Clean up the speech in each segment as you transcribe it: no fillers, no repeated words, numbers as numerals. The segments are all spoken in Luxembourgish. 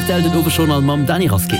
Rtl den Owesjournal mam Dany Rasqué.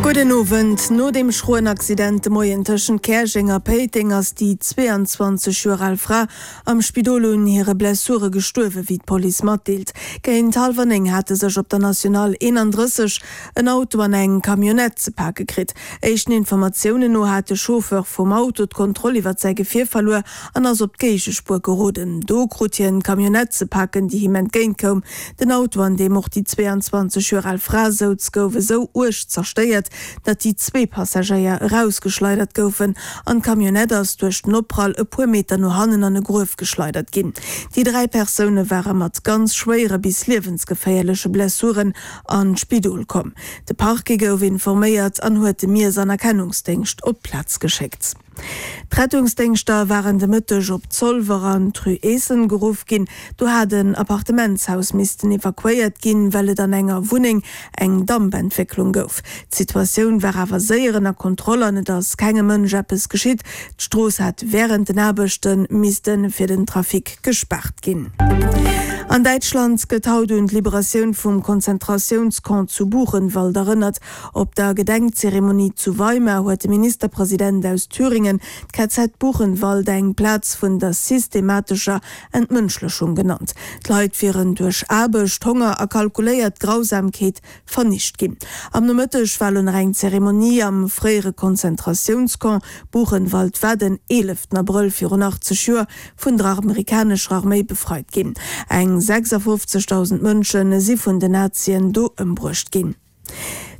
Gudden Owend. No dem schroen Accident de Moien tëschent Käerjeng a Péiteng ass déi 22 Joer al Fra am Spidol un hire Blessure gestuerwen, wéi d'Police matdeelt. Géint hallwer 9 hate sech op der Nationale 31 en Auto an eng Camionnette ze pake kritt. Éischten Informatiounen no hat de Chauffeur vum Auto d'Kontroll iwwert säi Gefier verluer an ass op d'Géigespuer geroden. Do krut hien d'Camionnette ze paken, déi him entgéint koum. Den Auto, an deem och déi 22 Joer al Fra souz, gouf esou uerg zerstéiert, datt déi zwee Passagéier erausgeschleidert goufen an d'Camionnette ass duerch den Opprall e puer Meter no hannen an e Gruef geschleidert ginn. Déi 3 Persoune ware mat ganz schwéiere bis liewensgeféierleche Blessuren an d'Spidol komm. De Parquet gouf informéiert an huet de Miess an Erkennungsdéngscht op d'Plaz geschéckt. D'Rettungsdéngschter waren de Mëtteg op Zolwer an d'Rue Eessen geruff ginn. Do hat en Appartementshaus missten evakuéiert ginn, well et an enger Wunneng eng Dampentwécklung gouf. D'Situatioun war awer séier ënner Kontroll an et ass kengem Mënsch eppes geschitt. D'Strooss hat wärend den Aarbechte misste fir den Trafic gespaart ginn. An Däitschland gëtt haut un d'Liberatioun vum Konzentratiounscamp zu Buchenwald erënnert. Op der Gedenkzeremonie zu Weimar huet de Ministerpresident aus Thüringen d'KZ Buchenwald eng Plaz vun der systematescher Entmënschlechung genannt. D'Leit wieren duerch Aarbecht, Honger a kalkuléiert Grausamkeet vernicht ginn. Am Nomëtteg war lo nach eng Zeremonie am fréiere Konzentratiounscamp Buchenwald war den 11 Abrëll virun 80 Joer vun der amerikanescher Arméi befreit ginn. Eng 56.000 Mënsche si vun den Nazien do ëmbruecht ginn.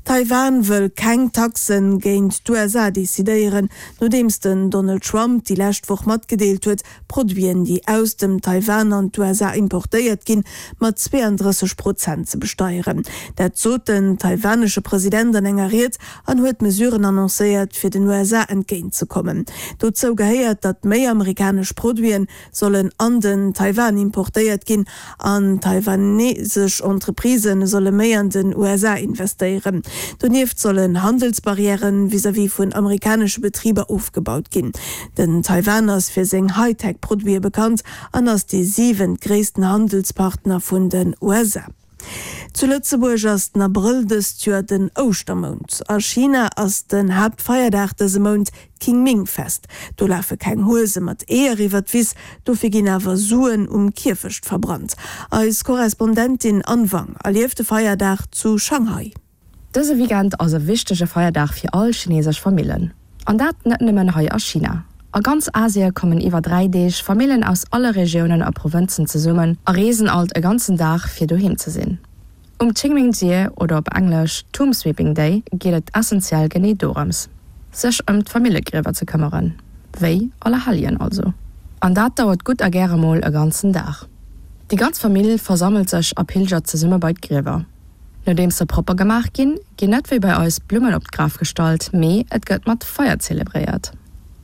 Taiwan wëll keng Taxen géint d'USA decidéieren, nodeems den Donald Trump déi lescht Woch matgedeelt huet, Produiten, déi aus dem Taiwan an d'USA importéiert ginn, mat 32 Prozent ze besteieren. Dat sot den taiwanesche President an enger Ried an huet Mesuren annoncéiert, fir den USA entgéint ze kommen. Dozou gehéiert, datt méi amerikanesch Produiten sollen an den Taiwan importéiert ginn an taiwanesesch Entreprisë solle méi an den USA investéieren. Donieft sollen Handelsbarrièrë vis-à-vis vun amerikanesche Betriber ofgebaut ginn. Den Taiwan ass fir seng Hightech-Produite bekannt an ass dee siwent-gréissten Handelspartner vun den USA. Zu Lëtzebuerg ass den Abrëll dëst Joer den Ouschtermount. A China ass den Haaptfeierdag dëse Mount d'Qingming-Fest. Do lafe keng Huese mat Eeër iwwer d'Wiss, dofir ginn awer Suen um Kierfecht verbrannt. Eis Korrespondentin Anne Wang erlieft de Feierdag zu Shanghai. Dëse Weekend ass e wichtege Feierdag fir all chinesesch Famillen. An dat net nëmmen hei a China. A ganz Asie kommen iwwer 3 Deeg Famillen aus alle Regiounen a Provënzen zesummen a reesen alt e ganzen Dag fir doheem ze sinn. Um Qingming Jie oder op Englesch Tomb Sweeping Day geet et essentiell genee dorëms, sech ëm d'Famillegriewer ze këmmeren, wéi Allerhelljen also. An dat dauert gutt a gäre mol e ganzen Dag. Déi ganz Famill versammelt sech a pilgert zesumme bei d'Griewer. Nodeems se propper gemaach ginn, ginn net wéi bei eis Blummen op d'Graf gestallt, mee et gëtt mat Feier zelebréiert.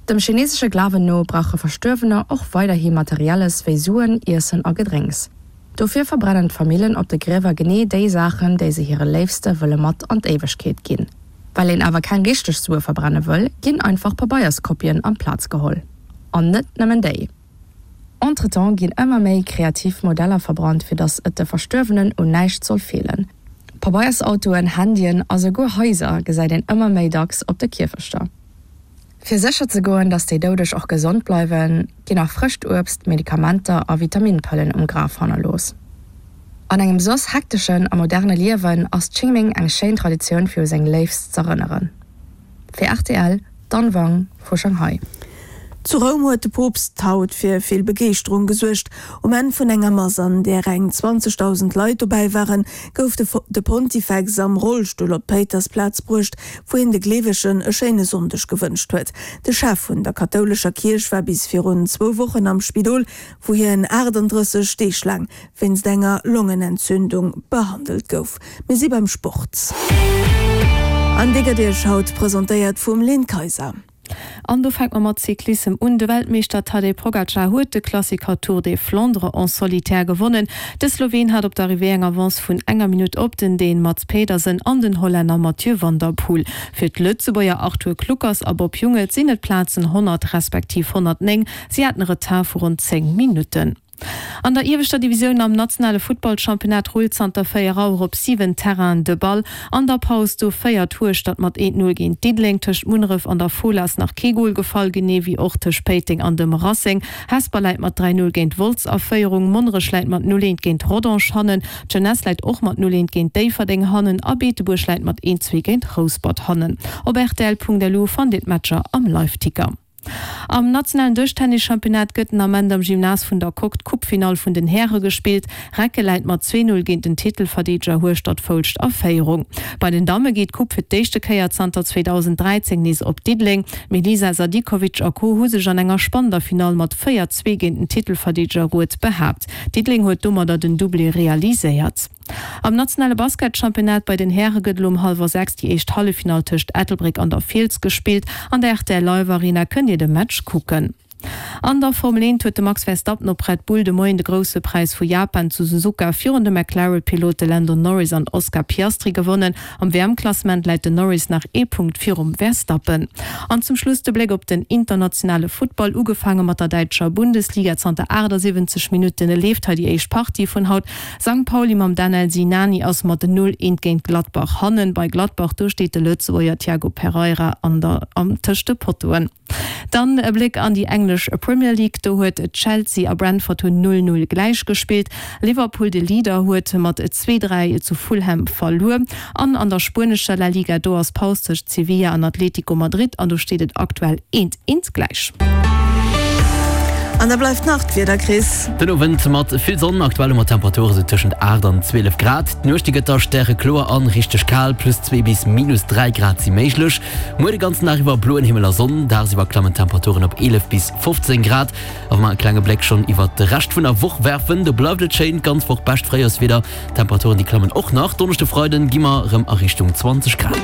Dem chinesesche Glawen no brauche Verstuerwener och weiderhi Materielles wéi Suen, Iessen a Gedrénks. Dofir verbrennen d'Famillen op de Griewer genee déi Saachen, déi se hire Léifste wëlle mat an d'Éiwegkeet ginn. Well een awer keng richteg Sue verbrenne wëll, ginn einfach Pabeierskopien amplaz geholl. An net nëmmen déi. Entretemps ginn ëmmer méi kreativ Modeller verbrannt, fir datt et de Verstuerwenen un näischt soll feelen. Pabeiersautoen, Handyen a souguer Haiser gesäit een ëmmer méi dacks op de Kierfechter. Fir sécher ze goen, datt déi Doudeg och gesond bleiwen, ginn nach frëscht Uebst, Medikamenter a Vitaminpëllen um Graf hannerlooss. An engem soss hekteschen a moderne Liewen ass Qingming eng schéin Traditioun fir u seng Léifst z'erënneren. Fir rtl, d'Anne Wang vu Shanghai. Zu Roum huet de Poopst haut fir vill Begeeschterung gesuergt. Um Enn vun enger Mass, an där eng 20.000 Leit dobäi waren, gouf de de Pontifex am Rollstull op d'Péitersplaz bruecht, wou hien de Gleewegen e schéine Sonndeg gewënscht huet. De Chef vun der kathoulescher Kierch war bis virun zwou Wochen am Spidol, wou hien 38 Deeg laang wéinst enger Longenentzündung behandelt gouf. Mir si beim Sport. An dee gëtt Iech haut presentéiert vum Lynn Kayser. An do fänke mer mat Cyclissem un. De Weltmeeschter Tadej Pogacar huet de Klassiker Tour des Flandres en solitaire gewonnen. De Sloween hat op d'Arrivée eng Avance vun enger Minutt op den Dän Mads Pedersen an den Hollänner Mathieu van der Poel. Fir d'Lëtzebuerger Arthur Kluckers a Bob Jungels sinn et d'Plazen 100 respektiv 109. Si haten e Retard vu ronn 10 Minutten. An der ieweschter Divisioun am nationale Futtballchampionnat rullt zanter 4 Auer op 7 Terrainen de Ball. An der Paus do féiert Hueschtert mat 1, 0 géint Diddeleng. Tëscht Munneref an der Fola ass nach kee Gol gefall, genee wéi och tëscht Péiteng an dem Racing. Hesper läit mat 3, 0 géint Wolz a Féierung, Monnerech läit mat 0, 1 géint Rodange hannen, d'Jeunesse läit och mat 0, 1 géint Déifferdeng hannen a Beetebuerg läit mat 1, 2 géint Rouspert hannen. Op rtl.lu fannt Dir d'Matcher am Liveticker. Am nationalen Dëschtennis-Championnat gëtt den Ament am Gymnase vun der Coque d'Coupefinall vun den Häre gespillt. Recke läit mat 2, 0 géint den Titelverdeedeger Hueschtert-Foulscht a Féierung. Bei den Damme geet d'Coupe fir d'éischte Kéier zanter 2013 nees op Diddeleng. D'Melisa Sadikovic a Co hu sech an enger spannender Finall mat 4, 2 géint den Titelverdeedeger Rued behaapt. Diddeleng huet domadder den Doublé realiséiert. Am nationale Basketchampionnat bei den Häre gëtt elo um hallwer 6 déi éischt Halleffinall tëscht Ettelbréck an der Fiels gespillt. An der rtl Live Arena kënnt Dir de Match kucken. An der Formel 1 huet de Max Verstappen op Red Bull de Moien de Grousse Präis vu Japan zu Suzuka virun de McLaren-Pilote Lando Norris an Oscar Piastri gewonnen. Am WM-Klassement läit den Norris nach ee Punkt virum Verstappen. An zum Schluss de Bléck op den internationale Futtball, ugefaange mat der däitscher Bundesliga. Zanter 78 Minutten leeft hei déi éischt Partie vun haut. Sankt Pauli mam Danel Sinani ass mat 0, 1 géint Gladbach hannen. Bei Gladbach, do steet de Lëtzebuerger Tiago Pereira an der am tëscht de Pottoen. Dann e Bléck an déi englesch Premier League, do huet Chelsea a Brentford hunn 0, 0 gläich gespillt. Liverpool, de Leader, huet mat 2, 3 zu Fulham verluer. An an der spuenescher La Liga, do ass Paus tëscht Sevilla an Atletico Madrid an do steet et aktuell 1, 1 gläich. An da bleift nach d'Wieder, Chris. Den Owend mat vill Sonn, aktuell hu mer Temperature sou tëschent 8 an 12 Grad. D'Nuecht déi gëtt da stärekloer an richteg kal, plus 2 bis minus 3 Grad si méiglech. Muer de ganzen Dag iwwer bloen Himmel a Sonn, dagsiwwer klammen d'Temperaturen op 11 bis 15 Grad. A wa mer e klenge Bléck schonn iwwert de Rescht vun der Woch werfen, do bleift et schéin, d'ganz Woch bescht Fréijorswieder. D'Temperaturen déi klammen och nach. Donneschde, Freiden gi mer rëm a Richtung 20 Grad.